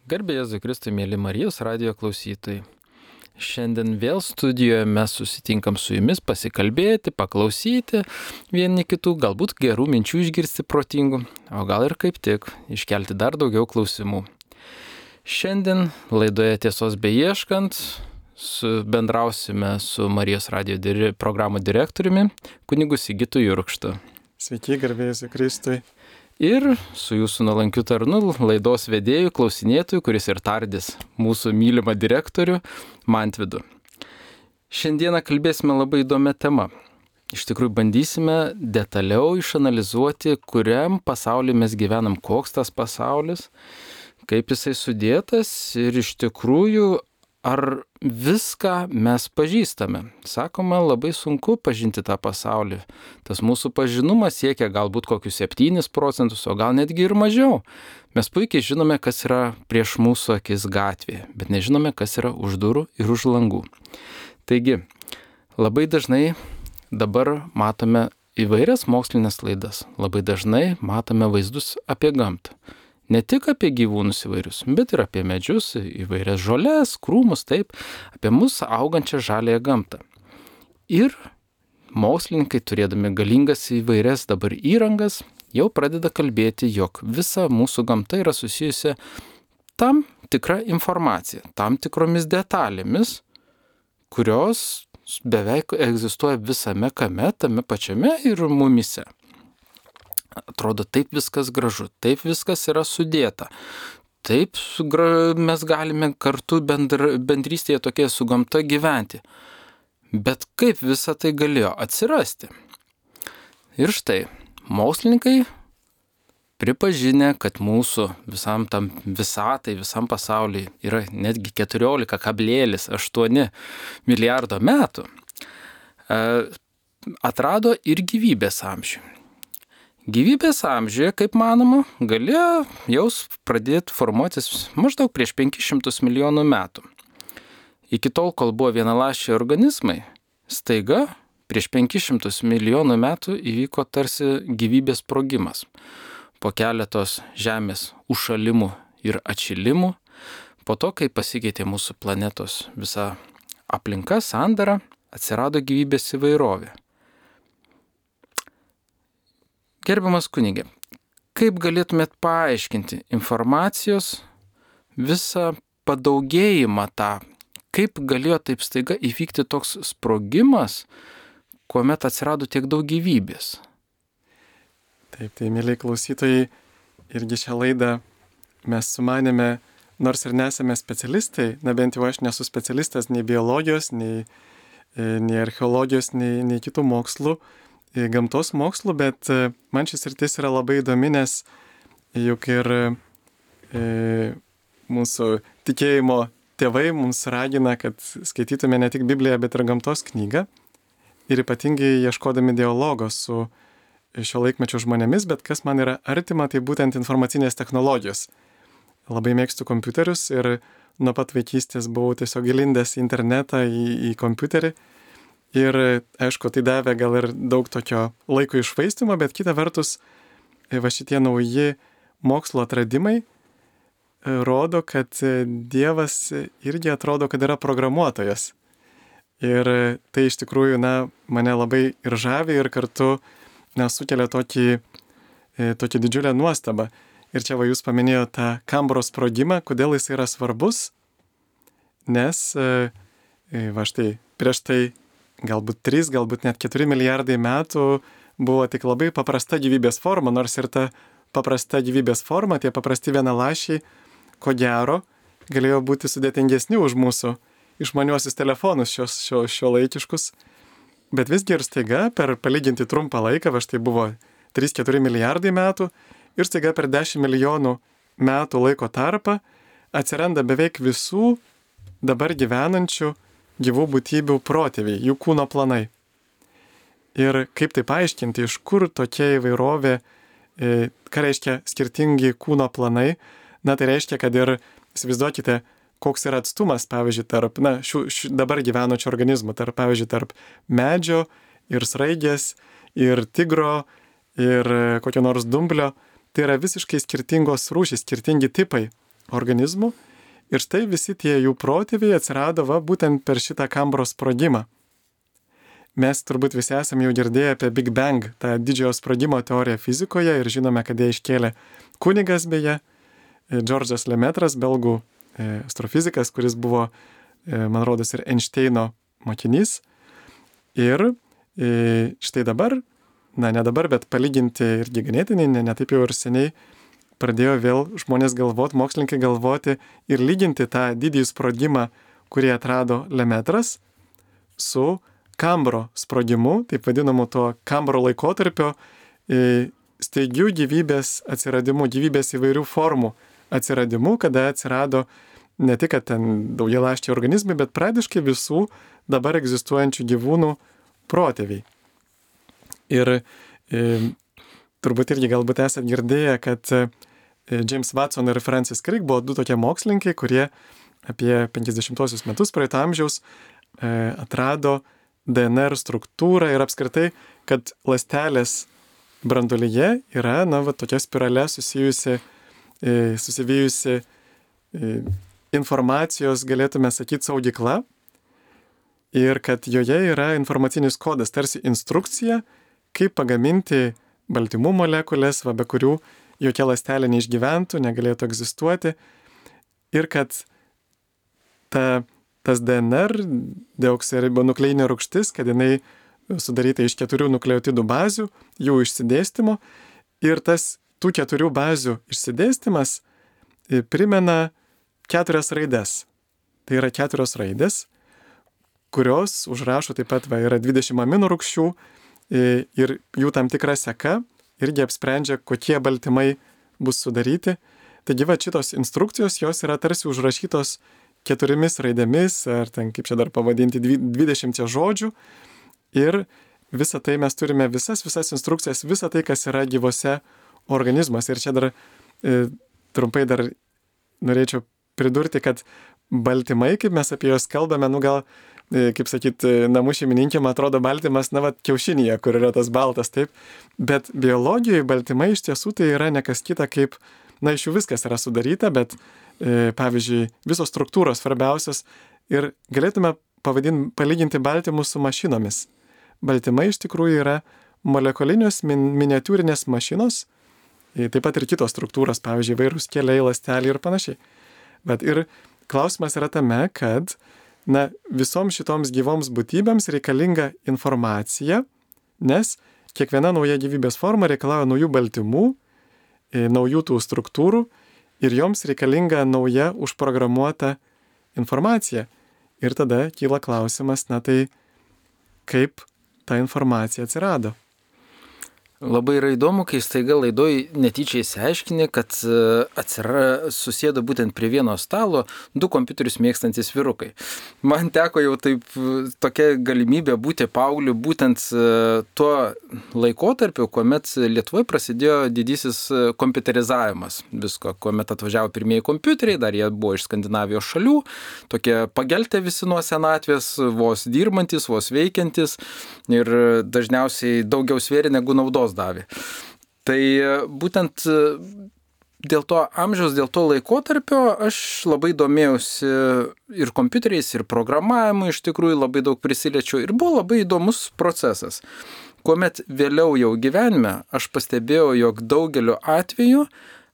Garbė Jėzui Kristui, mėly Marijos radijo klausytojai. Šiandien vėl studijoje mes susitinkam su jumis pasikalbėti, paklausyti vieni kitų, galbūt gerų minčių išgirsti protingų, o gal ir kaip tik iškelti dar daugiau klausimų. Šiandien laidoje Tiesos beieškant bendrausime su Marijos radijo programų direktoriumi, kunigu Sigitu Jurkštu. Sveiki, garbė Jėzui Kristui. Ir su jūsų nuolankiu tarnu, laidos vedėjų, klausinėtojų, kuris ir tardys mūsų mylimą direktorių, Mantvidu. Šiandieną kalbėsime labai įdomią temą. Iš tikrųjų bandysime detaliau išanalizuoti, kuriam pasaulyje mes gyvenam, koks tas pasaulis, kaip jisai sudėtas ir iš tikrųjų ar viską mes pažįstame. Sakoma, labai sunku pažinti tą pasaulį. Tas mūsų pažinumas siekia galbūt kokius 7%, o gal netgi ir mažiau. Mes puikiai žinome, kas yra prieš mūsų akis gatvėje, bet nežinome, kas yra už durų ir už langų. Taigi, labai dažnai dabar matome įvairias mokslinės laidas. Labai dažnai matome vaizdus apie gamtą. Ne tik apie gyvūnus įvairius, bet ir apie medžius, įvairias žoles, krūmus, taip, apie mūsų augančią žaliąją gamtą. Ir mokslininkai, turėdami galingas įvairias dabar įrangas, jau pradeda kalbėti, jog visa mūsų gamta yra susijusi tam tikra informacija, tam tikromis detalėmis, kurios beveik egzistuoja visame kame, tame pačiame ir mumyse. Atrodo, taip viskas gražu, taip viskas yra sudėta. Taip mes galime kartu bendrystėje tokie su gamta gyventi. Bet kaip visa tai galėjo atsirasti? Ir štai, mokslininkai pripažinę, kad mūsų visam tam visatai, visam pasauliui yra netgi 14,8 milijardo metų, atrado ir gyvybės amžių. Gyvybės amžiuje, kaip manoma, galėjo jau pradėti formuotis maždaug prieš 500 milijonų metų. Iki tol, kol buvo vienaląsčiai organizmai, staiga prieš 500 milijonų metų įvyko tarsi gyvybės sprogimas. Po keletos Žemės užšalimų ir atšilimų, po to, kai pasikeitė mūsų planetos visa aplinka, sandara, atsirado gyvybės įvairovė. Gerbiamas kunige, kaip galėtumėt paaiškinti informacijos visą padaugėjimą tą, kaip galėjo taip staiga įvykti toks sprogimas, kuomet atsirado tiek daug gyvybės? Taip, tai mėly klausytojai, irgi šią laidą mes sumanėme, nors ir nesame specialistai, na bent jau aš nesu specialistas nei biologijos, nei archeologijos, nei kitų mokslų, gamtos mokslų, bet man šis sritis yra labai įdomi, nes juk ir mūsų tikėjimo tėvai mums ragina, kad skaitytume ne tik Bibliją, bet ir gamtos knygą. Ir ypatingai ieškodami dialogo su šio laikmečio žmonėmis, bet kas man yra artima, tai būtent informacinės technologijos. Labai mėgstu kompiuterius ir nuo pat vaikystės buvau tiesiog įlindęs į internetą, į kompiuterį. Ir aišku, tai davė gal ir daug tokio laiko iššvaistymo, bet kita vertus, va šitie nauji mokslo atradimai rodo, kad Dievas irgi atrodo, kad yra programuotojas. Ir tai iš tikrųjų, mane labai ir žavi ir kartu sukelia tokį didžiulę nuostabą. Ir čia va jūs paminėjote tą Kambros sprogimą, kodėl jis yra svarbus, nes va štai prieš tai galbūt 3, galbūt net 4 milijardai metų buvo tik labai paprasta gyvybės forma, nors ir ta paprasta gyvybės forma, tie paprasti vienaląsčiai, ko gero, galėjo būti sudėtingesni už mūsų išmaniuosius telefonus šio laikiškus. Bet visgi ir staiga per palyginti trumpą laiką, va štai buvo 3-4 milijardai metų, ir staiga per 10 milijonų metų laiko tarpą atsiranda beveik visų dabar gyvenančių gyvų būtybių protėviai, jų kūno planai. Ir kaip tai paaiškinti, iš kur tokia įvairovė, ką reiškia skirtingi kūno planai, tai reiškia, kad ir, įsivaizduokite, koks yra atstumas, pavyzdžiui, tarp dabar gyvenančių organizmų, pavyzdžiui, tarp medžio ir sraigės, ir tigro, ir kokio nors dumblio, tai yra visiškai skirtingos rūšys, skirtingi tipai. organizmų. Ir štai visi tie jų protėviai atsirado būtent per šitą Kambro sprogimą. Mes turbūt visi esame jau girdėję apie Big Bang, tą didžiojo sprogimo teoriją fizikoje ir žinome, kad ją iškėlė kunigas beje, Džordžas Lemetras, belgų astrofizikas, kuris buvo, man rodos, ir Einšteino mokinys. Ir štai dabar, ne dabar, bet palyginti irgi ganėtinai, ne taip jau ir seniai, pradėjo vėl žmonės galvoti, mokslininkai galvoti ir lyginti tą didįjį sprogimą, kurį atrado Lemetras, su Kambro sprogimu, taip vadinamu to Kambro laikotarpio staigių gyvybės atsiradimu, gyvybės įvairių formų atsiradimu, kada atsirado ne tik, kad ten daugialąsčiai organizmai, bet praktiškai visų dabar egzistuojančių gyvūnų protėviai. Ir turbūt irgi galbūt esate girdėję, kad James Watson ir Francis Crick buvo du tokie mokslininkai, kurie apie 50-osius metus praeito amžiaus atrado DNR struktūrą ir apskritai, kad ląstelės branduolyje yra, tokia spirale susivijusi informacijos, galėtume sakyti, saugykla ir kad joje yra informacinis kodas, tarsi instrukcija, kaip pagaminti baltymų molekulės, be kurių jokia ląstelė neišgyventų, negalėtų egzistuoti ir kad tas DNR, deoksiribonukleinė rūgštis, kad jinai sudaryta iš 4 nukleotidų bazių, jų išsidėstymo ir tų 4 bazių išsidėstymas primena 4 raides. Tai yra 4 raidės, kurios užrašo taip pat yra 20 aminų rūgščių ir jų tam tikra seka irgi apsprendžia, kokie baltymai bus sudaryti. Taigi šitos instrukcijos, jos yra tarsi užrašytos 4 raidėmis, ar ten, kaip čia dar pavadinti, 20 žodžių. Ir visą tai mes turime, visas instrukcijas, visą tai, kas yra gyvose organizmuose. Ir čia dar trumpai dar norėčiau pridurti, kad baltymai, kaip mes apie juos kalbame, gal, kaip sakyti, namų šeimininkėm atrodo baltymas, kiaušinėje, kur yra tas baltas, taip. Bet biologijoje baltymai iš tiesų tai yra ne kas kita kaip, iš jų viskas yra sudaryta, bet pavyzdžiui, visos struktūros svarbiausios ir galėtume palyginti baltymus su mašinomis. Baltymai iš tikrųjų yra molekulinios miniatiūrinės mašinos, taip pat ir kitos struktūros, pavyzdžiui, vairūs keliai, ląsteliai ir panašiai. Bet ir klausimas yra tame, kad visoms šitoms gyvoms būtybėms reikalinga informacija, nes kiekviena nauja gyvybės forma reikalauja naujų baltymų, naujų tų struktūrų ir joms reikalinga nauja užprogramuota informacija. Ir tada kyla klausimas, tai kaip ta informacija atsirado. Labai yra įdomu, kai staiga laidoj netyčia įsiaiškini, kad susėdo būtent prie vieno stalo 2 kompiuterius mėgstantis vyrukai. Man teko jau tokia galimybė būti paaugliu būtent tuo laikotarpiu, kuomet Lietuvoje prasidėjo didysis kompiuterizavimas visko, kuomet atvažiavo pirmieji kompiuteriai, dar jie buvo iš Skandinavijos šalių, tokie pageltę visi nuo senatvės, vos dirbantis, vos veikiantis ir dažniausiai daugiau svėrė negu naudos davė. Tai būtent dėl to amžiaus, dėl to laikotarpio aš labai domėjausi ir kompiuteriais, ir programavimu, iš tikrųjų labai daug prisiliečiau ir buvo labai įdomus procesas. Kuomet vėliau jau gyvenime aš pastebėjau, jog daugeliu atveju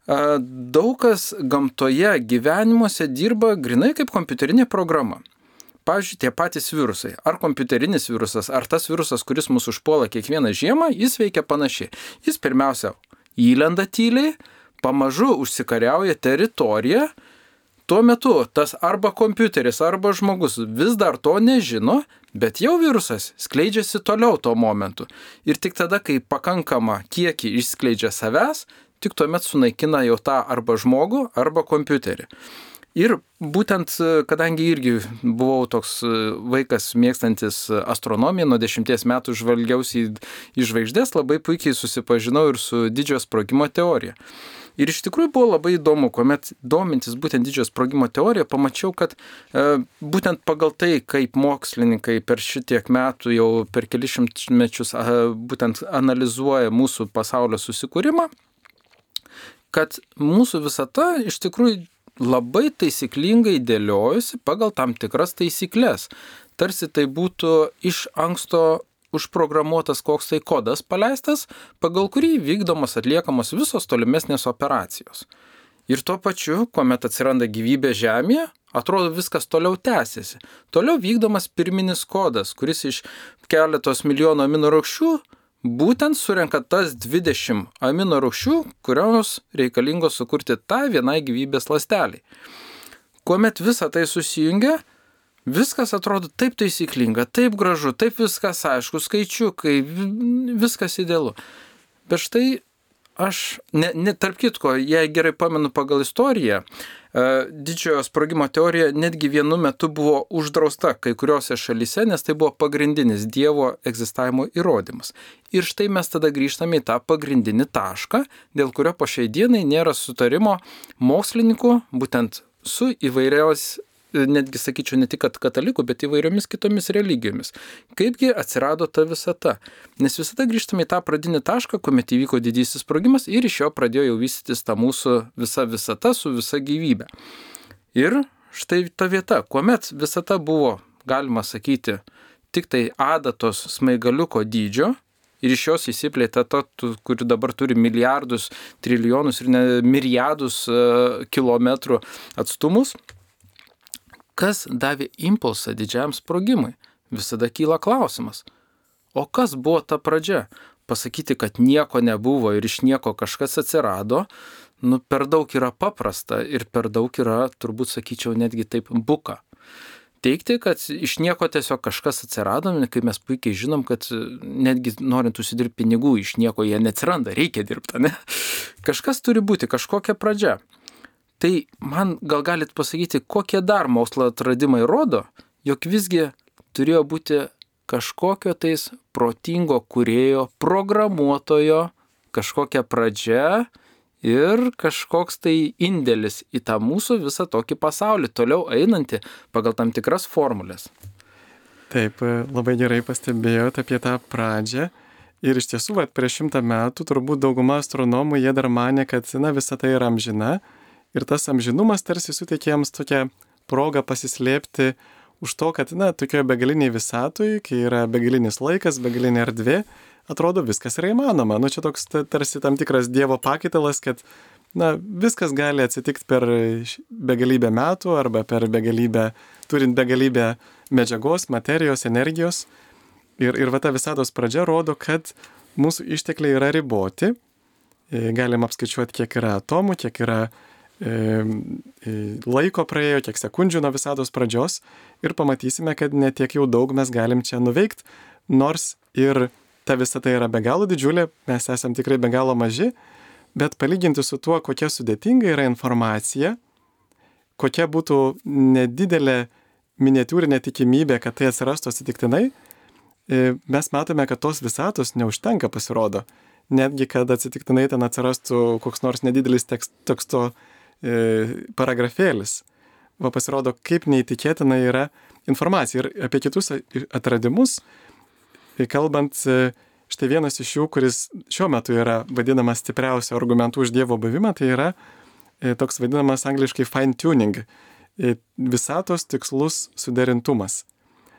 daug kas gamtoje gyvenimuose dirba grinai kaip kompiuterinė programa. Pavyzdžiui, tie patys virusai, ar kompiuterinis virusas, ar tas virusas, kuris mus užpuola kiekvieną žiemą, jis veikia panašiai. Jis pirmiausia įlenda tyliai, pamažu užsikariauja teritoriją, tuo metu tas arba kompiuteris, arba žmogus vis dar to nežino, bet jau virusas skleidžiasi toliau tuo momentu. Ir tik tada, kai pakankama kiekį išskleidžia savęs, tik tuomet sunaikina jau tą arba žmogų, arba kompiuterį. Ir būtent, kadangi irgi buvau toks vaikas mėgstantis astronomiją, nuo 10 metų žvalgiausi į žvaigždės, labai puikiai susipažinau ir su didžiojo sprogimo teorija. Ir iš tikrųjų buvo labai įdomu, kuomet domintis būtent didžiojo sprogimo teoriją, pamačiau, kad būtent pagal tai, kaip mokslininkai per šitiek metų, jau per kelius šimtmečius būtent analizuoja mūsų pasaulio susikūrimą, kad mūsų visata iš tikrųjų labai taisyklingai dėliojusi pagal tam tikras taisyklės. Tarsi tai būtų iš anksto užprogramuotas koks tai kodas paleistas, pagal kurį vykdomos atliekamos visos tolimesnės operacijos. Ir tuo pačiu, kuomet atsiranda gyvybė Žemėje, atrodo viskas toliau tęsiasi. Toliau vykdomas pirminis kodas, kuris iš keletos milijonų amino rūgščių būtent surenka tas 20 amino rūgščių, kurios reikalingos sukurti tą vienai gyvybės ląsteliai. Kuomet visa tai susijungia, viskas atrodo taip taisyklinga, taip gražu, taip viskas aišku, skaičiukai, viskas idealu. Bet štai aš, tarp kitko, jei gerai pamenu pagal istoriją, didžiojo sprogimo teorija netgi vienu metu buvo uždrausta kai kuriuose šalyse, nes tai buvo pagrindinis Dievo egzistavimo įrodymas. Ir štai mes tada grįžtame į tą pagrindinį tašką, dėl kurio po šiai dienai nėra sutarimo mokslininkų, būtent su įvairiaus, netgi sakyčiau, ne tik katalikų, bet įvairiomis kitomis religijomis. Kaipgi atsirado ta visata? Nes visada grįžtame į tą pradinį tašką, kuomet įvyko didysis sprogimas ir iš jo pradėjo jau vystytis ta mūsų visa visata su visa gyvybė. Ir štai ta vieta, kuomet visata buvo, galima sakyti, tik tai adatos smaigaliuko dydžio ir iš jos įsiplėtė ta, kuri dabar turi milijardus, trilijonus ir miliardus kilometrų atstumus, kas davė impulsą didžiam sprogimui? Visada kyla klausimas. O kas buvo ta pradžia? Pasakyti, kad nieko nebuvo ir iš nieko kažkas atsirado, per daug yra paprasta ir per daug yra, turbūt sakyčiau, netgi taip buka. Teigti, kad iš nieko tiesiog kažkas atsirado, kai mes puikiai žinom, kad netgi norint užsidirbti pinigų, iš nieko jie neatsiranda, reikia dirbti, ne? Kažkas turi būti, kažkokia pradžia. Tai man gal galit pasakyti, kokie dar mokslo atradimai rodo, jog visgi turėjo būti kažkokio tais protingo kūrėjo, programuotojo, kažkokia pradžia ir kažkoks tai indėlis į tą mūsų visą tokį pasaulį, toliau einantį pagal tam tikras formulės. Taip, labai gerai pastebėjote apie tą pradžią. Ir iš tiesų, prieš 100 metų turbūt dauguma astronomų jie dar manė, kad visa tai yra amžina. Ir tas amžinumas tarsi suteikė jiems tokią progą pasislėpti už to, kad, tokioje begaliniai visatui, kai yra begalinis laikas, begalinė erdvė, atrodo viskas yra įmanoma. Čia toks tarsi tam tikras Dievo pakaitalas, kad, viskas gali atsitikti per begalybę metų arba per begalybę, turint begalybę medžiagos, materijos, energijos. Ir va ta visatos pradžia rodo, kad mūsų ištekliai yra riboti. Galim apskaičiuoti, kiek yra atomų, kiek yra laiko praėjo, kiek sekundžių nuo visatos pradžios ir pamatysime, kad ne tiek jau daug mes galim čia nuveikti, nors ir ta visata yra be galo didžiulė, mes esam tikrai be galo maži, bet palyginti su tuo, kokia sudėtinga yra informacija, kokia būtų nedidelė miniatiūrinė tikimybė, kad tai atsirastų atsitiktinai, mes matome, kad tos visatos neužtenka, pasirodo. Netgi, kad atsitiktinai ten atsirastų koks nors nedidelis teksto paragrafėlis. Pasirodo, kaip neįtikėtina yra informacija. Ir apie kitus atradimus, kalbant, štai vienas iš jų, kuris šiuo metu yra vadinamas stipriausiu argumentu už Dievo buvimą, tai yra toks vadinamas angliškai fine tuning, visatos tikslus suderintumas.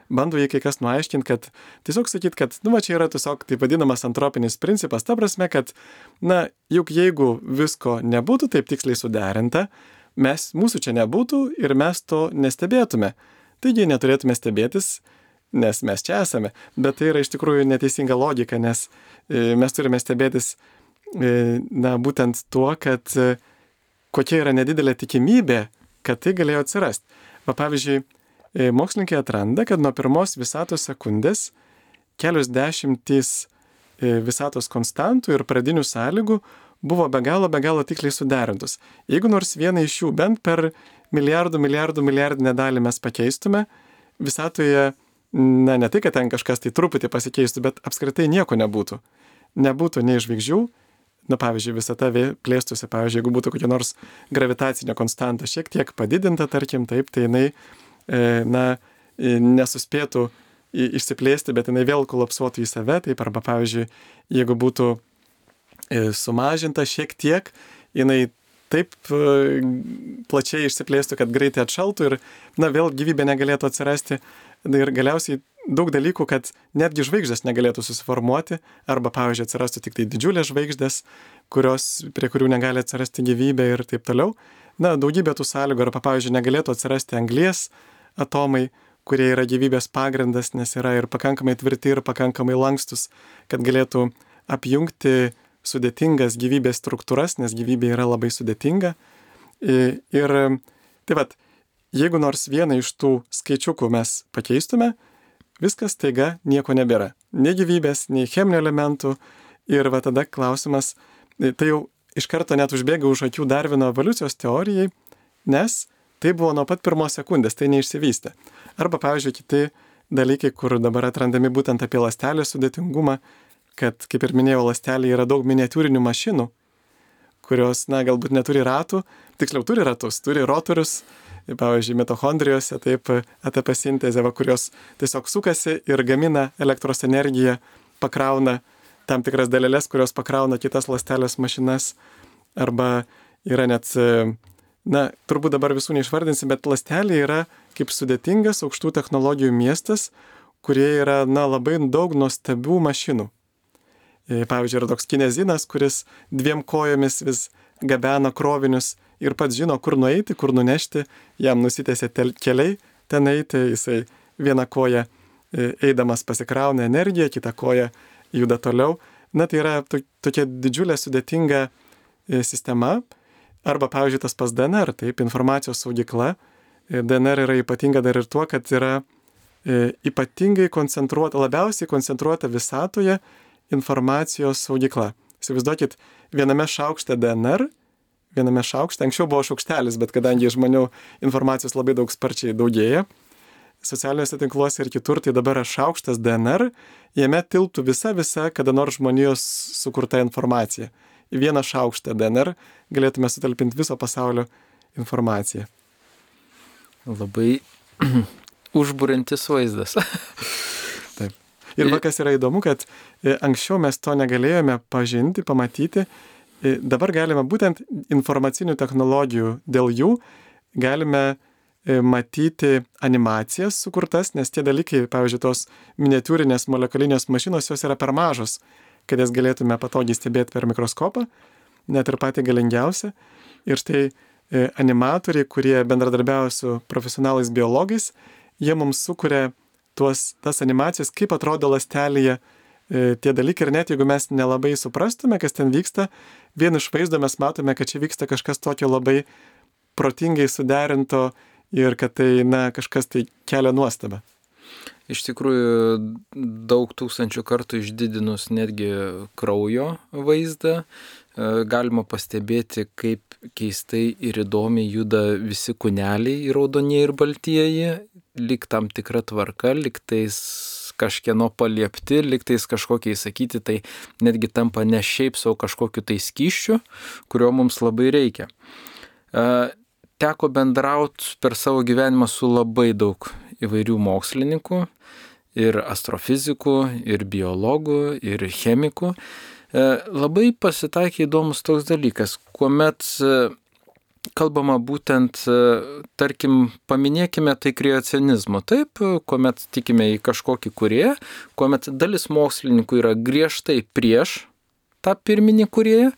Bando jį kai kas nuaiškinti, kad tiesiog sakyti, kad čia yra tiesiog taip vadinamas antropinis principas, ta prasme, kad juk jeigu visko nebūtų taip tiksliai suderinta, mūsų čia nebūtų ir mes to nestebėtume. Taigi neturėtume stebėtis, nes mes čia esame. Bet tai yra iš tikrųjų neteisinga logika, nes mes turime stebėtis būtent tuo, kad kokia yra nedidelė tikimybė, kad tai galėjo atsirasti. Pavyzdžiui, mokslininkai atranda, kad nuo pirmos visatos sekundės kelios dešimtys visatos konstantų ir pradinių sąlygų buvo be galo tiksliai suderintos. Jeigu nors vieną iš jų bent per milijardinę dalį mes pakeistume, visatoje, ne tai, kad ten kažkas tai truputį pasikeistų, bet apskritai nieko nebūtų. Nebūtų nei žvaigždžių, pavyzdžiui, visata plėstųsi, pavyzdžiui, jeigu būtų kokia nors gravitacinė konstanta šiek tiek padidinta, tarkim, taip, tai jinai nesuspėtų išsiplėsti, bet jinai vėl kolapsuotų į save, taip, arba pavyzdžiui, jeigu būtų sumažinta šiek tiek, jinai taip plačiai išsiplėstų, kad greitai atšaltų ir, vėl gyvybė negalėtų atsirasti. Ir galiausiai daug dalykų, kad netgi žvaigždės negalėtų susiformuoti, arba, pavyzdžiui, atsirastų tik tai didžiulės žvaigždės, prie kurių negali atsirasti gyvybė ir taip toliau. Daugybė tų sąlygų, arba, pavyzdžiui, negalėtų atsirasti anglies atomai, kurie yra gyvybės pagrindas, nes yra ir pakankamai tvirti, ir pakankamai lankstus, kad galėtų apjungti sudėtingas gyvybės struktūras, nes gyvybė yra labai sudėtinga. Ir tai vat, jeigu nors vieną iš tų skaičiukų mes pakeistume, viskas taiga nieko nebėra. Nei gyvybės, nei cheminių elementų. Ir va tada klausimas, tai jau iš karto net užbėga už akių Darvino evoliucijos teorijai, nes tai buvo nuo pat pirmos sekundės, tai neišsivystė. Arba, pavyzdžiui, kiti dalykai, kur dabar atrandami būtent apie ląstelės sudėtingumą, kad, kaip ir minėjau, ląstelė yra daug miniatiūrinių mašinų, kurios, galbūt neturi ratų, tiksliau turi ratus, turi rotorius, pavyzdžiui, mitochondrijose, taip, ATP sintezė, kurios tiesiog sukasi ir gamina elektros energiją, pakrauna tam tikras daleles, kurios pakrauna kitas ląstelės mašinas, arba yra net, turbūt dabar visų neišvardinsim, bet ląstelė yra kaip sudėtingas aukštų technologijų miestas, kurie yra, labai daug nuostabių mašinų. Pavyzdžiui, yra toks kinezinas, kuris 2 kojomis vis gabena krovinius ir pats žino, kur nueiti, kur nunešti, jam nusitęsia keliai ten eiti, jisai vieną koją eidamas pasikrauna energiją, kitą koją juda toliau. Tai yra tokia didžiulė sudėtinga sistema. Arba, pavyzdžiui, tas pas DNR, taip, informacijos saugykla. DNR yra ypatinga dar ir tuo, kad yra ypatingai koncentruota, labiausiai koncentruota visatoje informacijos saugykla. Įsivaizduokit, viename šaukšte DNR, anksčiau buvo šaukštelis, bet kadangi žmonių informacijos labai daug sparčiai daugėja, socialiniuose tinkluose ir kitur, tai dabar yra šaukštas DNR, jame tilptų visa kada nors žmonijos sukurta informacija. Į vieną šaukštą DNR galėtume sutalpinti viso pasaulio informaciją. Labai užburiantis vaizdas. Taip. Ir kas yra įdomu, kad anksčiau mes to negalėjome pažinti, pamatyti. Dabar galime būtent informacinių technologijų, dėl jų galime matyti animacijas sukurtas, nes tie dalykai, pavyzdžiui, tos miniatiūrinės molekulinės mašinos, jos yra per mažos, kad jas galėtume patogiai stebėti per mikroskopą, net ir patį galingiausią. Ir štai animatoriai, kurie bendradarbiauja su profesionalais biologais, jie mums sukuria tas animacijas, kaip atrodo ląstelėje tie dalykai. Ir net jeigu mes nelabai suprastume, kas ten vyksta, vien iš vaizdo mes matome, kad čia vyksta kažkas tokio labai protingai suderinto ir kad tai, kažkas tai kelia nuostabą. Iš tikrųjų, daug tūkstančių kartų išdidinus netgi kraujo vaizdą, galima pastebėti, kaip keistai ir įdomiai juda visi kūneliai, raudonieji ir baltieji, lyg tam tikra tvarka, lyg tais kažkieno paliepti, lyg tais kažkokie įsakyti, tai netgi tampa ne šiaip savo kažkokiu tai skysčiu, kurio mums labai reikia. Teko bendrauti per savo gyvenimą su labai daug įvairių mokslininkų, ir astrofizikų, ir biologų, ir chemikų. Labai pasitaikė įdomus toks dalykas, kuomet kalbama būtent, tarkim, paminėkime tai kreacionizmo, taip, kuomet tikime į kažkokį kūrėją, kuomet dalis mokslininkų yra griežtai prieš tą pirminį kūrėją,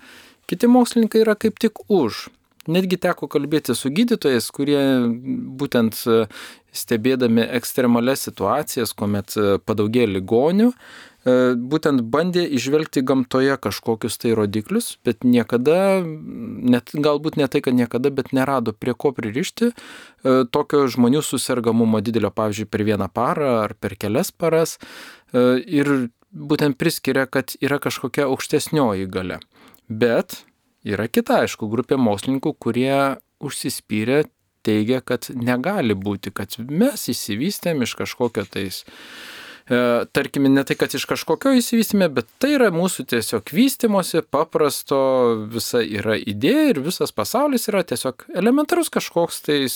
kiti mokslininkai yra kaip tik už. Netgi teko kalbėti su gydytojais, kurie būtent stebėdami ekstremalias situacijas, kuomet padaugėja ligonių, būtent bandė įžvelgti gamtoje kažkokius tai rodiklius, bet niekada, galbūt ne tai, kad niekada, bet nerado prie ko pririšti tokio žmonių susirgamumo didelio, pavyzdžiui, per 1 parą ar per kelias paras, ir būtent priskiria, kad yra kažkokia aukštesnioji galia. Bet yra kita, aišku, grupė mokslininkų, kurie užsispyrė, teigia, kad negali būti, kad mes įsivystėm iš kažkokio tais, tarkime, ne tai, kad iš kažkokio įsivystėme, bet tai yra mūsų tiesiog vystymosi, paprasto, visa yra idėja ir visas pasaulis yra tiesiog elementarus kažkoks tais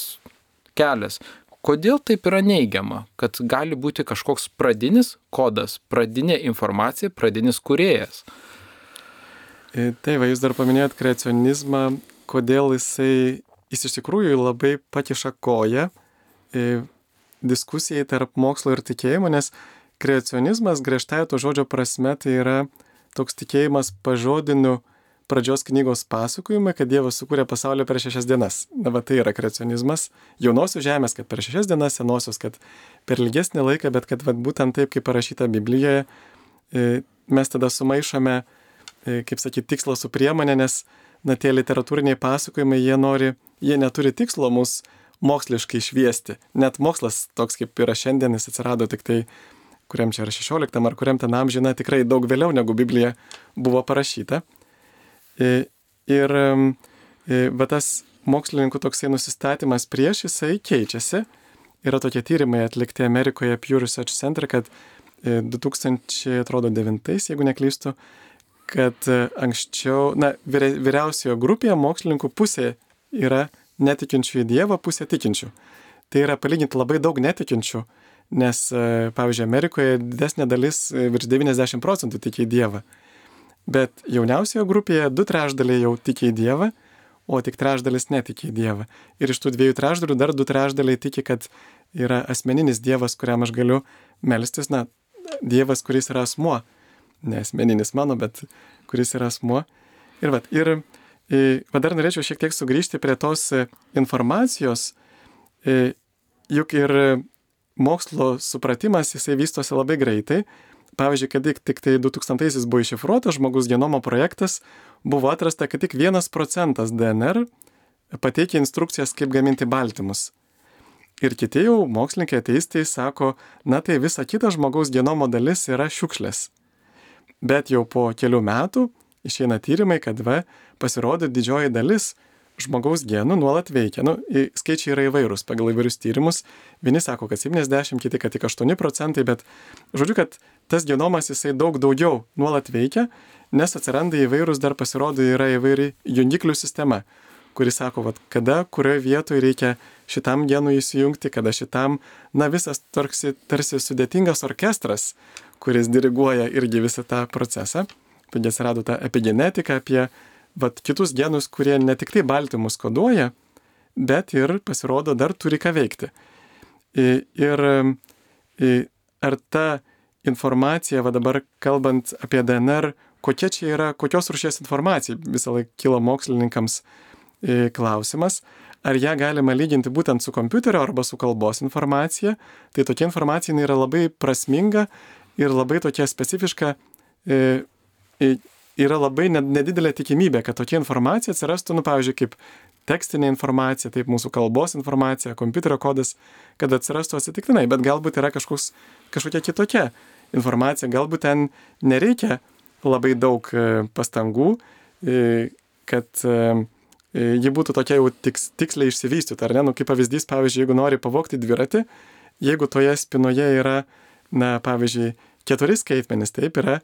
kelias. Kodėl taip yra neigiama, kad gali būti kažkoks pradinis kodas, pradinė informacija, pradinis kūrėjas? Tai jūs dar paminėjot kreacionizmą, kodėl jis iš tikrųjų labai pakiša koją diskusijai tarp mokslo ir tikėjimo, nes kreacionizmas griežtai to žodžio prasme tai yra toks tikėjimas pažodiniu pradžios knygos pasakojimai, kad Dievas sukūrė pasaulį per 6 dienas. Na, va tai yra kreacionizmas. Jaunosios žemės, kad per 6 dienas, senosios, kad per ilgesnį laiką, bet kad va, būtent taip, kaip parašyta Biblijoje, mes tada sumaišome, kaip sakyti, tikslą su priemonė, nes tie literatūriniai pasakojimai, jie neturi tikslo mus moksliškai šviesti. Net mokslas toks, kaip yra šiandien, jis atsirado tik tai, kuriam čia yra 16 ar kuriam ten amžiną, tikrai daug vėliau negu Biblija buvo parašyta. Ir va tas mokslininkų toksai nusistatymas prieš jisai keičiasi. Yra tokie tyrimai atlikti Amerikoje Pew Research Center, kad 2009, jeigu neklystu, kad anksčiau, vyriausiojo grupėje mokslininkų pusė yra netikinčių į Dievą, pusė tikinčių. Tai yra palyginti labai daug netikinčių, nes, pavyzdžiui, Amerikoje didesnė dalis, virš 90% tiki į Dievą. Bet jauniausioje grupėje 2/3 jau tiki į Dievą, o tik 1/3 netiki į Dievą. Ir iš tų 2/3 dar 2/3 tiki, kad yra asmeninis Dievas, kuriam aš galiu melstis, Dievas, kuris yra asmuo. Ne asmeninis mano, bet kuris yra asmuo. Ir dar norėčiau šiek tiek sugrįžti prie tos informacijos, juk ir mokslo supratimas, jisai vystosi labai greitai. Pavyzdžiui, kad tik tai 2000-aisiais buvo iššifruotas žmogus genomo projektas, buvo atrasta, kad tik 1% DNR pateikia instrukcijas, kaip gaminti baltymus. Ir kiti jau mokslininkai ateistai sako, tai visa kita žmogaus genomo dalis yra šiukšlės. Bet jau po kelių metų išeina tyrimai, kad pasirodo didžioji dalis žmogaus genų nuolat veikia. Skaičiai yra įvairūs pagal įvairius tyrimus. Vieni sako, kad 70, kiti, kad tik 8%, bet žodžiu, kad tas genomas jisai daug daugiau nuolat veikia, nes atsiranda įvairūs, dar pasirodo yra įvairi jungiklių sistema, kuri sako, kada, kurioje vietoje reikia šitam genui įsijungti, kada šitam, visas tarsi sudėtingas orkestras, kuris diriguoja irgi visą tą procesą. Taigi atsirado ta epigenetika apie kitus genus, kurie ne tik tai baltymus koduoja, bet ir pasirodo dar turi ką veikti. Ir ar ta informacija, dabar kalbant apie DNR, kokia čia yra, kokios rūšies informacija, visą laiką kilo mokslininkams klausimas, ar ją galima lyginti būtent su kompiuterio arba su kalbos informacija, tai tokia informacija yra labai prasminga ir labai tokia specifiška, yra labai nedidelė tikimybė, kad tokia informacija atsirastų, pavyzdžiui, kaip tekstinė informacija, taip mūsų kalbos informacija, kompiuterio kodas, kad atsirastų atsitiktinai, bet galbūt yra kažkokia kitokia informacija, galbūt ten nereikia labai daug pastangų, kad ji būtų tokia jau tiksliai išsivystyta, ar ne? Kaip pavyzdys, pavyzdžiui, jeigu nori pavogti dviratį, jeigu toje spinoje yra, pavyzdžiui, 4 skaitmenys, taip yra,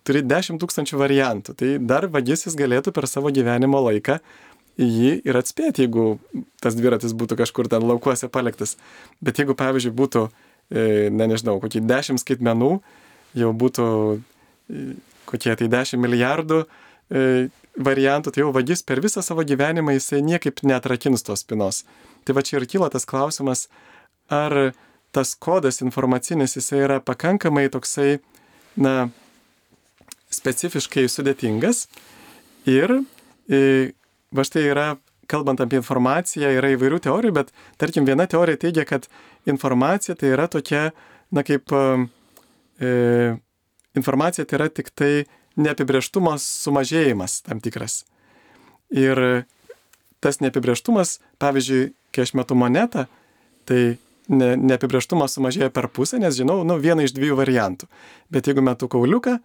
turi 10 000 variantų, tai dar vagis jis galėtų per savo gyvenimo laiką jį ir atspėti, jeigu tas dviratis būtų kažkur ten laukuose paliktas. Bet jeigu, pavyzdžiui, būtų, kokį 10 skaitmenų, jau būtų kokie tai 10 milijardų variantų, tai jau vagis per visą savo gyvenimą jisai niekaip neatrakins tos spinos. Tai čia ir kyla tas klausimas, ar tas kodas informacinis jisai yra pakankamai toksai, specifiškai sudėtingas ir štai yra, kalbant apie informaciją, yra įvairių teorijų, bet tarkim viena teorija teigia, kad informacija tai yra tokia, kaip informacija tai yra tik tai neapibrėžtumas sumažėjimas tam tikras. Ir tas neapibrėžtumas, pavyzdžiui, kai aš metu monetą, tai neapibrėžtumas sumažėja per pusę, nes žinau, vieną iš 2 variantų. Bet jeigu metu kauliuką,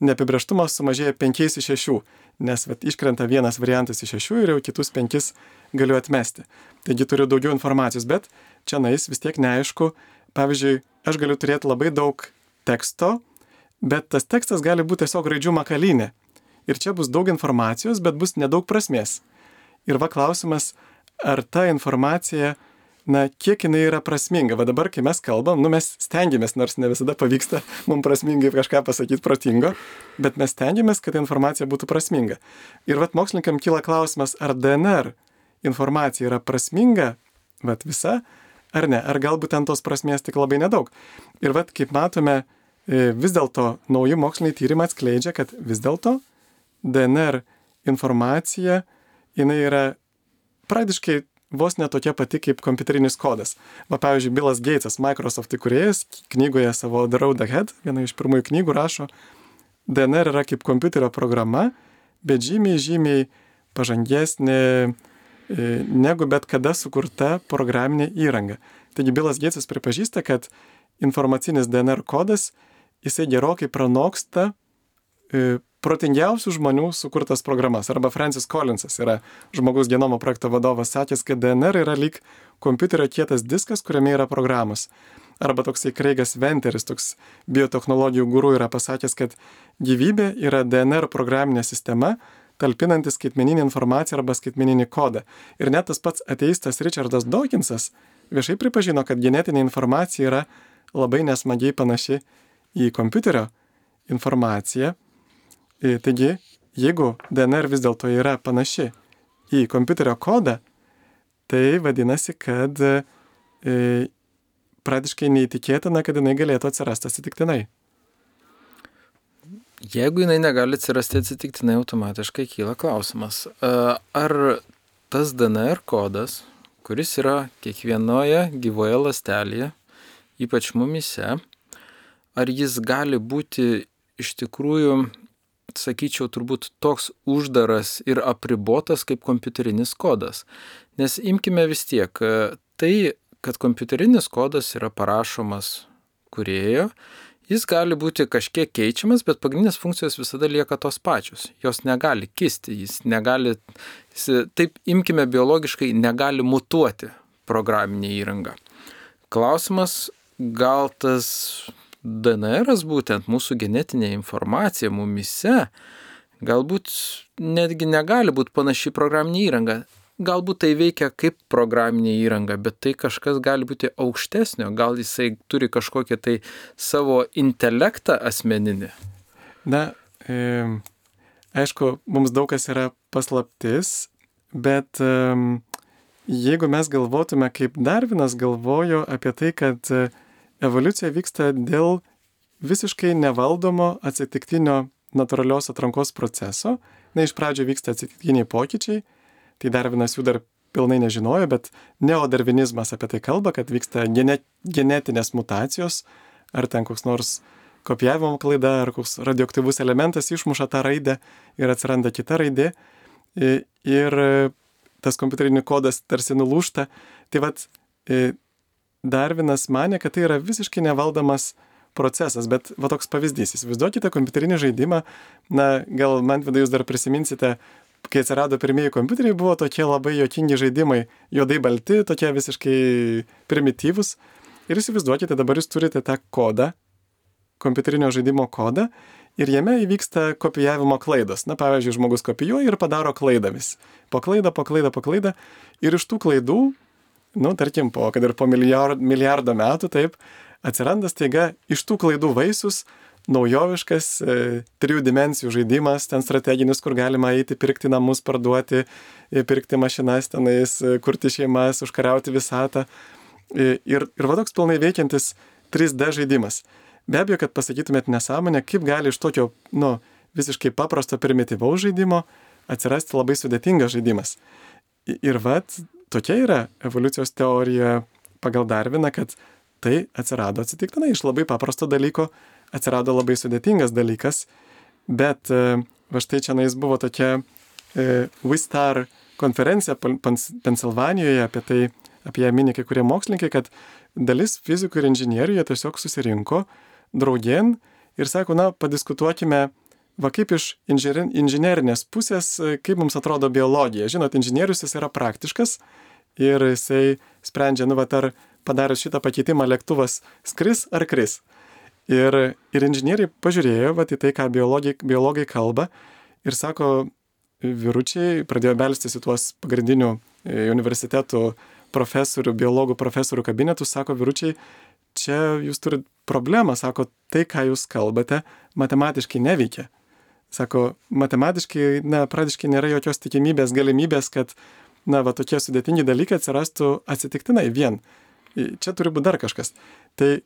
neapibrėžtumas sumažėja 5 iš 6, nes iškrenta vienas variantas iš 6 ir jau kitus 5 galiu atmesti. Taigi turiu daugiau informacijos, bet čia vis tiek neaišku. Pavyzdžiui, aš galiu turėti labai daug teksto, bet tas tekstas gali būti tiesiog raidžių makalynė. Ir čia bus daug informacijos, bet bus nedaug prasmės. Ir klausimas, ar ta informacija kiek jinai yra prasminga. Va dabar, kai mes kalbam, mes stengiamės, nors ne visada pavyksta mums prasmingai kažką pasakyti protingo, bet mes stengiamės, kad informacija būtų prasminga. Ir vat mokslininkam kyla klausimas, ar DNR informacija yra prasminga, vat visa, ar ne, ar galbūt ten tos prasmės tik labai nedaug. Ir vat, kaip matome, vis dėlto nauji moksliniai tyrimai atskleidžia, kad vis dėlto DNR informacija, jinai yra praktiškai vos ne tokia pati kaip kompiuterinis kodas. Va, pavyzdžiui, Billas Gatesas, Microsoft įkūrėjas, knygoje savo The Road Ahead, viena iš pirmųjų knygų rašo, DNR yra kaip kompiuterio programa, bet žymiai pažangesnė negu bet kada sukurta programinė įranga. Taigi Billas Gatesas pripažįsta, kad informacinis DNR kodas, jisai gerokai pranoksta protingiausių žmonių sukurtas programas. Arba Francis Collinsas yra žmogaus genomo projekto vadovas, sakęs, kad DNR yra lyg kompiuterio kietas diskas, kuriame yra programos. Arba toksai Craigas Venteris, toks biotechnologijų guru, yra pasakęs, kad gyvybė yra DNR programinė sistema, talpinanti skaitmeninį informaciją arba skaitmeninį kodą. Ir net tas pats ateistas Richardas Dawkinsas viešai pripažino, kad genetinė informacija yra labai nesmagiai panaši į kompiuterio informaciją. Taigi, jeigu DNR vis dėlto yra panaši į kompiuterio kodą, tai vadinasi, kad praktiškai neįtikėtina, kad jinai galėtų atsirasti atsitiktinai. Jeigu jinai negali atsirasti atsitiktinai, automatiškai kyla klausimas, ar tas DNR kodas, kuris yra kiekvienoje gyvoje ląstelėje, ypač mumyse, ar jis gali būti iš tikrųjų, sakyčiau, turbūt toks uždaras ir apribotas kaip kompiuterinis kodas. Nes imkime vis tiek, tai, kad kompiuterinis kodas yra parašomas kūrėjo, jis gali būti kažkiek keičiamas, bet pagrindinės funkcijos visada lieka tos pačios. Jos negali kisti, taip imkime biologiškai, negali mutuoti programinė įranga. Klausimas, gal tas DNR'as būtent mūsų genetinė informacija mumyse galbūt netgi negali būti panaši programinė įranga. Galbūt tai veikia kaip programinė įranga, bet tai kažkas gali būti aukštesnio, gal jisai turi kažkokią tai savo intelektą asmeninį. Aišku, mums daug kas yra paslaptis, bet jeigu mes galvotume, kaip Darvinas galvojo apie tai, kad evoliucija vyksta dėl visiškai nevaldomo atsitiktinio natūralios atrankos proceso. Iš pradžio vyksta atsitiktiniai pokyčiai, tai Darvinas jų dar pilnai nežinojo, bet neodarvinizmas apie tai kalba, kad vyksta genetinės mutacijos, ar ten koks nors kopijavimo klaida, ar koks radioaktyvus elementas išmuša tą raidę ir atsiranda kita raidė. Ir tas kompiuterinį kodas tarsi nulūžta. Tai vat Darvinas manė, kad tai yra visiškai nevaldomas procesas, bet va toks pavyzdys. Įsivaizduokite kompiuterinį žaidimą, gal Mantvydai jūs dar prisiminsite, kai atsirado pirmieji kompiuteriai, buvo tokie labai juokingi žaidimai, juodai balti, tokie visiškai primityvūs. Ir įsivaizduokite, dabar jūs turite tą kodą, kompiuterinio žaidimo kodą, ir jame įvyksta kopijavimo klaidos. Pavyzdžiui, žmogus kopijuoja ir padaro klaidą vis. Po klaidą. Ir iš tų klaidų, tarkim, kad ir po milijardo metų, taip, atsiranda staiga iš tų klaidų vaisius naujoviškas 3 dimensijų žaidimas, ten strateginis, kur galima eiti, pirkti namus, parduoti, pirkti mašinas, tenais, kurti šeimas, užkariauti visatą. Ir va toks pilnai veikiantis 3D žaidimas. Be abejo, kad pasakytumėt nesąmonę, kaip gali iš tokio, visiškai paprasto primityvaus žaidimo atsirasti labai sudėtingas žaidimas. Ir tokia yra evoliucijos teorija pagal Darviną, kad tai atsirado atsitiktinai. Iš labai paprasto dalyko atsirado labai sudėtingas dalykas, bet va štai čia buvo tokia Wistar konferencija Pensilvanijoje, apie ją mini kai kurie mokslininkai, kad dalis fizikų ir inžinierių jie tiesiog susirinko draugien ir sako, padiskutuokime, kaip iš inžinerinės pusės, kaip mums atrodo biologija. Žinot, inžinierius jis yra praktiškas ir jisai sprendžia, ar padarius šitą pakeitimą lėktuvas skris ar kris. Ir inžinieriai pažiūrėjo į tai, ką biologai kalba ir sako, vyručiai pradėjo belstis į tuos pagrindinių universitetų profesorių, biologų profesorių kabinetus, sako, vyručiai, čia jūs turite problemą, sako, tai, ką jūs kalbate, matematiškai neveikia. Sako, matematiškai, praktiškai nėra jokios tikimybės, galimybės, kad, tokie sudėtingi dalykai atsirastų atsitiktinai vien. Čia turi būti dar kažkas. Tai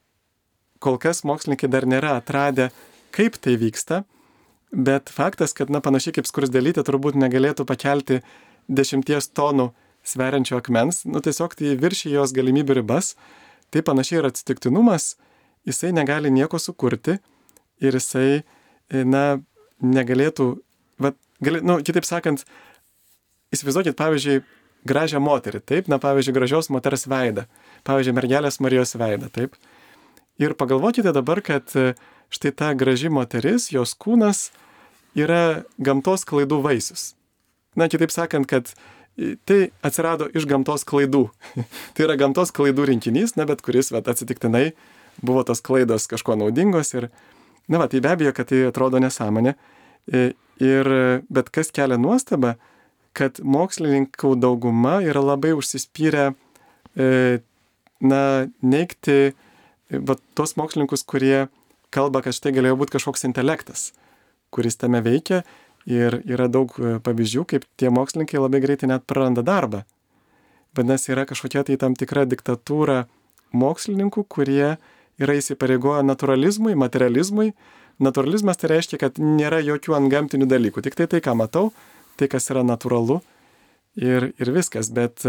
kol kas mokslininkai dar nėra atradę, kaip tai vyksta, bet faktas, kad, panašiai kaip skruzdėlytė turbūt negalėtų pakelti 10 tonų sveriančio akmens, tiesiog tai viršyja jos galimybių ribas, tai panašiai ir atsitiktinumas, jisai negali nieko sukurti ir jisai, negalėtų, kitaip sakant, įsivaizduokit, pavyzdžiui, gražią moterį, taip, pavyzdžiui, gražios moters veidą, pavyzdžiui, mergelės Marijos veidą, taip. Ir pagalvokite dabar, kad štai ta graži moteris, jos kūnas yra gamtos klaidų vaisius. Kitaip sakant, kad tai atsirado iš gamtos klaidų. Tai yra gamtos klaidų rinkinys, bet kuris atsitiktinai buvo tos klaidos kažko naudingos ir, tai be abejo, kad tai atrodo nesąmonė. Bet kas kelia nuostabą, kad mokslininkų dauguma yra labai užsispyrę, neigti tos mokslininkus, kurie kalba, kad štai galėjo būti kažkoks intelektas, kuris tame veikia. Ir yra daug pavyzdžių, kaip tie mokslininkai labai greitai net praranda darbą. Vadinasi, yra kažkokia tai tam tikra diktatūra mokslininkų, kurie yra įsipareigoję naturalizmui, materializmui. Naturalizmas tai reiškia, kad nėra jokių antgamtinių dalykų. Tik tai, ką matau, tai, kas yra natūralu ir viskas. Bet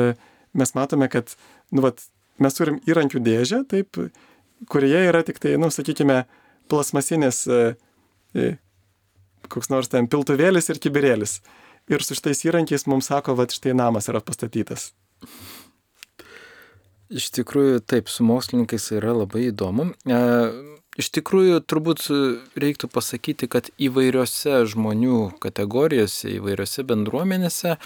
mes matome, kad mes turim įrankių dėžę, taip, kurioje yra tik tai, sakykime, plasmasinės koks nors ten piltuvėlis ir kibirėlis. Ir su šitais įrankiais mums sako, štai namas yra pastatytas. Iš tikrųjų, taip, su mokslininkais yra labai įdomu. Iš tikrųjų, turbūt reiktų pasakyti, kad įvairiose žmonių kategorijose, įvairiose bendruomenėse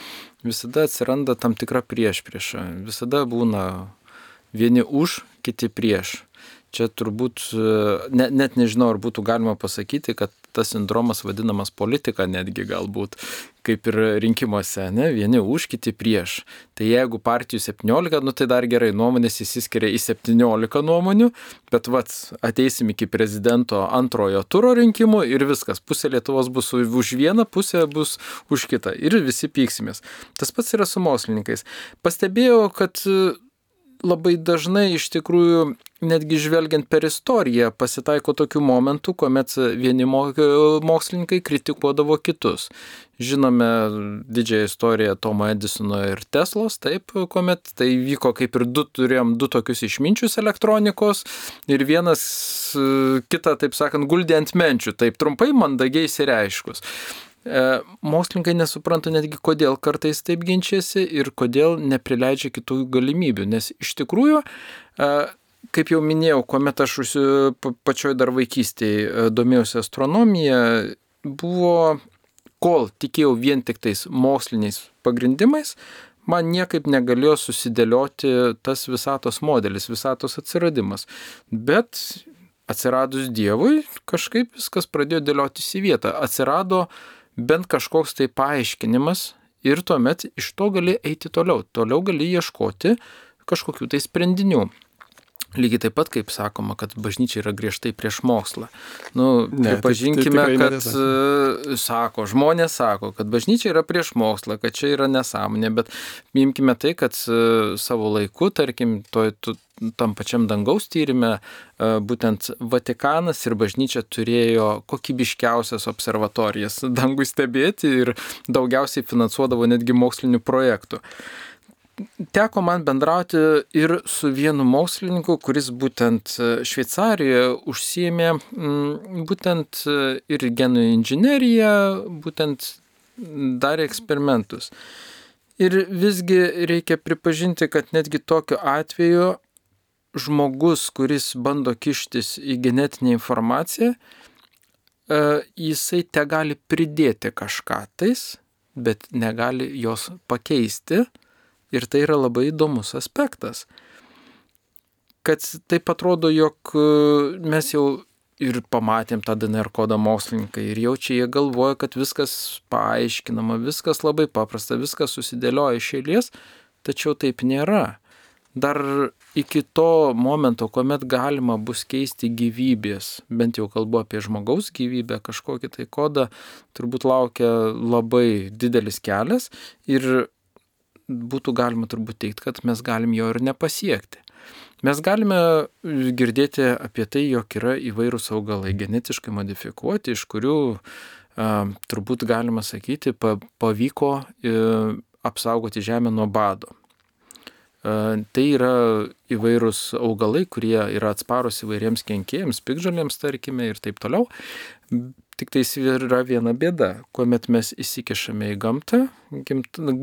visada atsiranda tam tikra priešprieša. Visada būna vieni už, kiti prieš. Čia turbūt, net nežinau, ar būtų galima pasakyti, kad tas sindromas vadinamas politika netgi galbūt, kaip ir rinkimuose, vieni už, kiti prieš. Tai jeigu partijų 17, tai dar gerai, nuomonės įsiskiria į 17 nuomonių, bet ateisim iki prezidento antrojo turo rinkimų ir viskas, pusė Lietuvos bus už vieną, pusė bus už kitą ir visi pyksimės. Tas pats yra su mokslininkais. Pastebėjau, kad labai dažnai iš tikrųjų, netgi žvelgiant per istoriją, pasitaiko tokių momentų, kuomet vieni mokslininkai kritikuodavo kitus. Žinome didžiąją istoriją Tomo Edisono ir Teslos, taip, kuomet tai vyko kaip ir turėjom du tokius išminčius elektronikos ir vienas kitą, taip sakant, guldė ant menčių, taip trumpai, mandagiai išsireiškus. Mokslininkai nesupranta netgi, kodėl kartais taip ginčiasi ir kodėl neprileidžia kitų galimybių, nes iš tikrųjų, kaip jau minėjau, kuomet aš pačioj dar vaikystėje domėjausi astronomiją, buvo, kol tikėjau vien tik tais moksliniais pagrindimais, man niekaip negalėjo susidėlioti tas visatos modelis, visatos atsiradimas. Bet atsiradus Dievui, kažkaip viskas pradėjo dėliotis į vietą. Atsirado bent kažkoks tai paaiškinimas ir tuomet iš to gali eiti toliau. Toliau gali ieškoti kažkokių tai sprendinių. Lygiai taip pat, kaip sakoma, kad bažnyčia yra griežtai prieš mokslą. Pripažinkime, kad žmonės sako, kad bažnyčia yra prieš mokslą, kad čia yra nesąmonė, bet imkime tai, kad savo laiku, tarkim, tam pačiam dangaus tyrime, būtent Vatikanas ir bažnyčia turėjo kokybiškiausias observatorijas dangui stebėti ir daugiausiai finansuodavo netgi mokslinių projektų. Teko man bendrauti ir su vienu mokslininku, kuris būtent Šveicarijoje užsiėmė būtent ir genų inžineriją, būtent darė eksperimentus. Ir visgi reikia pripažinti, kad netgi tokiu atveju žmogus, kuris bando kištis į genetinę informaciją, jisai te gali pridėti kažką tais, bet negali jos pakeisti. Ir tai yra labai įdomus aspektas, kad taip atrodo, jog mes jau ir pamatėm tą DNR kodą mokslininkai ir jau čia jie galvoja, kad viskas paaiškinama, viskas labai paprasta, viskas susidėlioja iš eilės, tačiau taip nėra. dar iki to momento, kuomet galima bus keisti gyvybės, bent jau kalbu apie žmogaus gyvybę, kažkokį tai kodą, turbūt laukia labai didelis kelias ir būtų galima turbūt teikti, kad mes galim jo ir nepasiekti. Mes galime girdėti apie tai, jog yra įvairūs augalai genetiškai modifikuoti, iš kurių turbūt galima sakyti, pavyko apsaugoti žemę nuo bado. Tai yra įvairūs augalai, kurie yra atsparus įvairiems kenkėjams, piktžolėms, tarkime, ir taip toliau. Tik tai yra viena bėda, kuomet mes įsikišame į gamtą,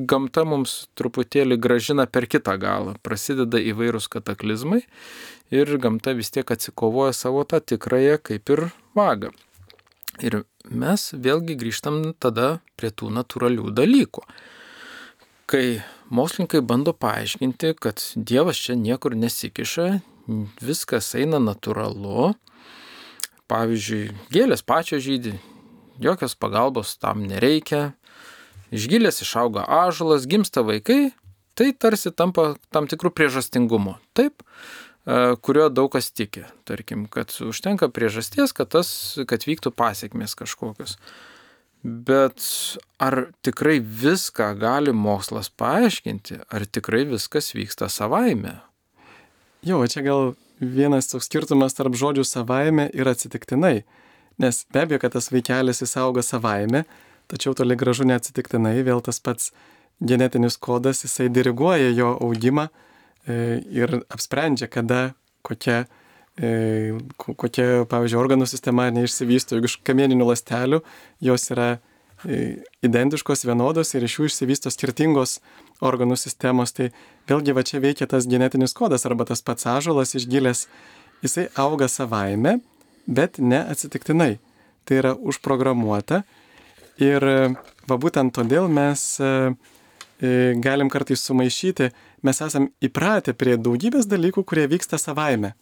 gamta mums truputėlį grąžina per kitą galą, prasideda įvairūs kataklizmai ir gamta vis tiek atsikovoja savo tą tikrąją kaip ir vagą. Ir mes vėlgi grįžtam tada prie tų natūralių dalykų. Kai mokslininkai bando paaiškinti, kad Dievas čia niekur nesikiša, viskas eina natūralu, pavyzdžiui, gėlės pačios žydi, jokios pagalbos tam nereikia, iš gilės išauga ąžuolas, gimsta vaikai, tai tarsi tampa tam tikrų priežastingumo. Taip, kurio daug kas tiki. Tarkim, kad užtenka priežasties, kad vyktų pasekmės kažkokios. Bet ar tikrai viską gali mokslas paaiškinti? Ar tikrai viskas vyksta savaime? Jo, čia gal vienas toks skirtumas tarp žodžių savaime ir atsitiktinai. Nes be abejo, kad tas vaikelis jis auga savaime, tačiau toli gražu neatsitiktinai, vėl tas pats genetinis kodas, jisai diriguoja jo augimą ir apsprendžia, kada kokia, pavyzdžiui, organų sistema neišsivysto. Jeigu iš kamieninių ląstelių jos yra identiškos, vienodos ir iš jų išsivysto skirtingos organų sistemos, tai vėlgi va čia veikia tas genetinis kodas arba tas pats ąžuolas iš gilės. Jisai auga savaime, bet ne atsitiktinai. Tai yra užprogramuota ir va būtent todėl mes galim kartais sumaišyti, mes esam įpratę prie daugybės dalykų, kurie vyksta savaime.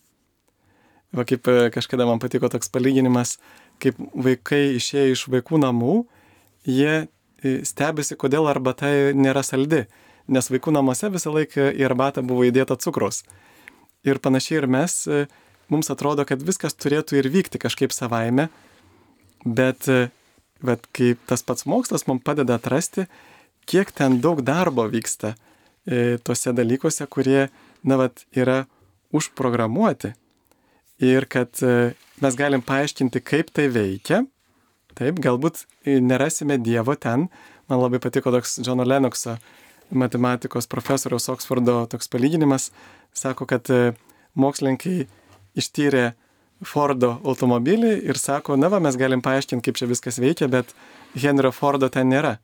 Va kaip kažkada man patiko toks palyginimas, kaip vaikai išėję iš vaikų namų, jie stebisi, kodėl arbata nėra saldi, nes vaikų namuose visą laiką į arbatą buvo įdėta cukraus. Ir panašiai ir mes, mums atrodo, kad viskas turėtų ir vykti kažkaip savaime, bet kaip tas pats mokslas mums padeda atrasti, kiek ten daug darbo vyksta tuose dalykuose, kurie, yra užprogramuoti. Ir kad mes galim paaiškinti, kaip tai veikia. Taip, galbūt nerasime Dievo ten. Man labai patiko toks Džono Lenokso, matematikos profesoriaus Oksfordo toks palyginimas. Sako, kad mokslininkai ištyrė Fordo automobilį ir sako, mes galim paaiškinti, kaip čia viskas veikia, bet Henrio Fordo ten nėra.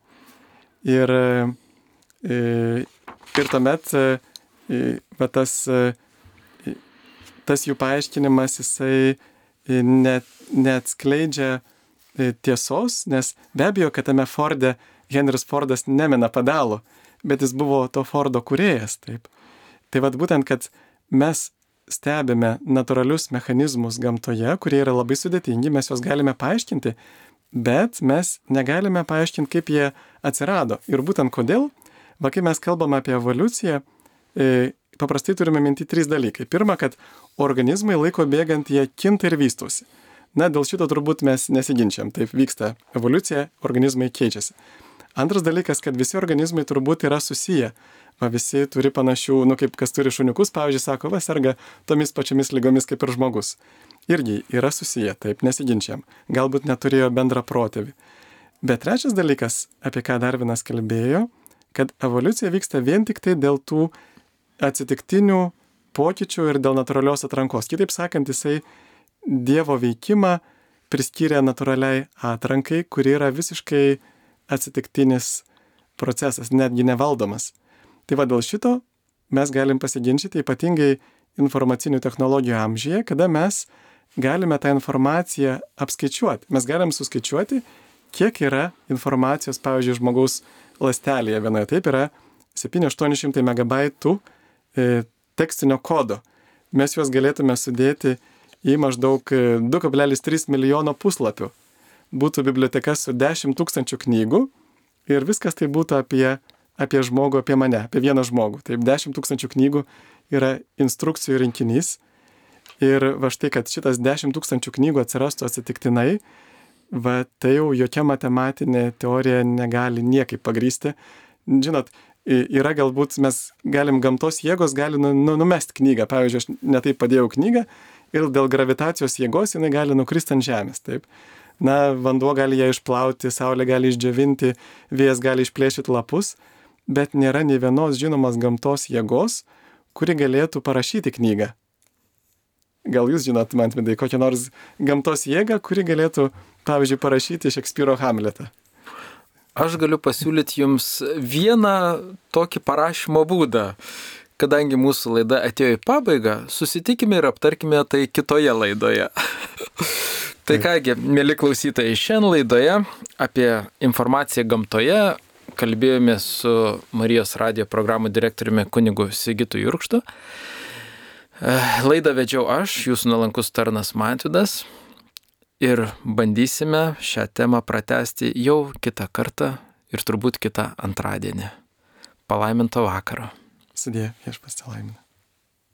Ir tuomet tas jų paaiškinimas, jisai neatskleidžia tiesos, nes be abejo, kad tame Forde Henris Fordas nemina pedalų, bet jis buvo to Fordo kūrėjas. Taip. Tai būtent, kad mes stebime natūralius mechanizmus gamtoje, kurie yra labai sudėtingi, mes juos galime paaiškinti, bet mes negalime paaiškinti, kaip jie atsirado. Ir būtent kodėl, kai mes kalbame apie evoliuciją, paprastai turime minti 3 dalykai. Pirma, kad organizmai laiko bėgant jie kinta ir vystosi. Dėl šito turbūt mes nesiginčiam. Taip vyksta evoliucija, organizmai keičiasi. Antras dalykas, kad visi organizmai turbūt yra susiję. Visi turi panašių, kaip kas turi šuniukus, pavyzdžiui, sako, serga tomis pačiamis lygomis kaip ir žmogus. Irgi yra susiję, taip nesiginčiam. Galbūt neturėjo bendrą protėvį. Bet trečias dalykas, apie ką Darvinas kalbėjo, kad evoliucija vyksta vien tik tai dėl tų atsitiktinių pokyčių ir dėl natūralios atrankos. Kitaip sakant, jisai Dievo veikimą priskyrė natūraliai atrankai, kuri yra visiškai atsitiktinis procesas, netgi nevaldomas. Tai dėl šito mes galim pasiginčyti, ypatingai informacinių technologijų amžiuje, kada mes galime tą informaciją apskaičiuoti. Mes galim suskaičiuoti, kiek yra informacijos, pavyzdžiui, žmogaus ląstelėje vienoje. Taip yra 700-800 megabaitų tekstinio kodo. Mes juos galėtume sudėti į maždaug 2,3 milijono puslapių. Būtų biblioteka su 10 000 knygų ir viskas tai būtų apie apie žmogų, apie mane, apie vieną žmogų. Taip, 10 000 knygų yra instrukcijų rinkinys. Ir va štai, kad šitas 10 000 knygų atsirastų atsitiktinai, va tai jau jokia matematinė teorija negali niekaip pagrysti. Žinot, yra galbūt mes galim, gamtos jėgos gali numesti knygą. Pavyzdžiui, aš netaip padėjau knygą ir dėl gravitacijos jėgos jinai gali nukristi ant žemės. Taip. Na, vanduo gali ją išplauti, saulė gali išdžiovinti, vėjas gali išplėšyti lapus, bet nėra nei vienos žinomos gamtos jėgos, kuri galėtų parašyti knygą. Gal jūs žinot, Mantvidai, kokią nors gamtos jėgą, kuri galėtų, pavyzdžiui, parašyti Šekspyro Hamletą? Aš galiu pasiūlyti jums vieną tokį parašymo būdą. Kadangi mūsų laida atėjo į pabaigą, susitikime ir aptarkime tai kitoje laidoje. Tai kągi, mėly klausytojai, šiandien laidoje apie informaciją gamtoje kalbėjome su Marijos radijo programų direktoriumi kunigu Sigitu Jurkštu. Laidą vedžiau aš, jūsų nuolankus tarnas Mantvidas, ir bandysime šią temą pratęsti jau kitą kartą ir turbūt kitą antradienį. Palaiminto vakaro. Sudie, viešpats te laimina.